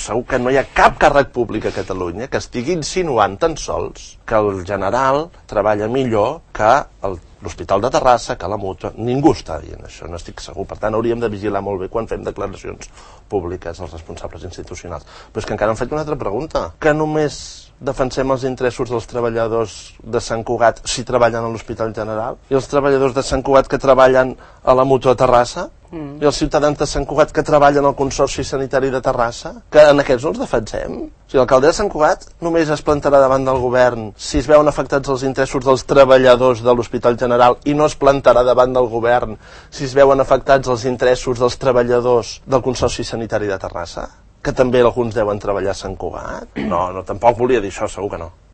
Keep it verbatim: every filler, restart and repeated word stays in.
segur que no hi ha cap càrrec públic a Catalunya que estigui insinuant tan sols que el general treballa millor que l'Hospital de Terrassa, que la Mútua. Ningú està dient això, no estic segur. Per tant, hauríem de vigilar molt bé quan fem declaracions públiques als responsables institucionals. Però és que encara em faig una altra pregunta. Que només defensem els interessos dels treballadors de Sant Cugat si treballen a l'Hospital General? I els treballadors de Sant Cugat que treballen a la Mútua de Terrassa? Mm. I els ciutadans de Sant Cugat que treballen al Consorci Sanitari de Terrassa? Que en aquests no els defensem? O sigui, l'alcalde de Sant Cugat només es plantarà davant del govern si es veuen afectats els interessos dels treballadors de l'Hospital General i no es plantarà davant del govern si es veuen afectats els interessos dels treballadors del Consorci Sanitari de Terrassa? Que també alguns deuen treballar a Sant Cugat? No, no, tampoc volia dir això, segur que no.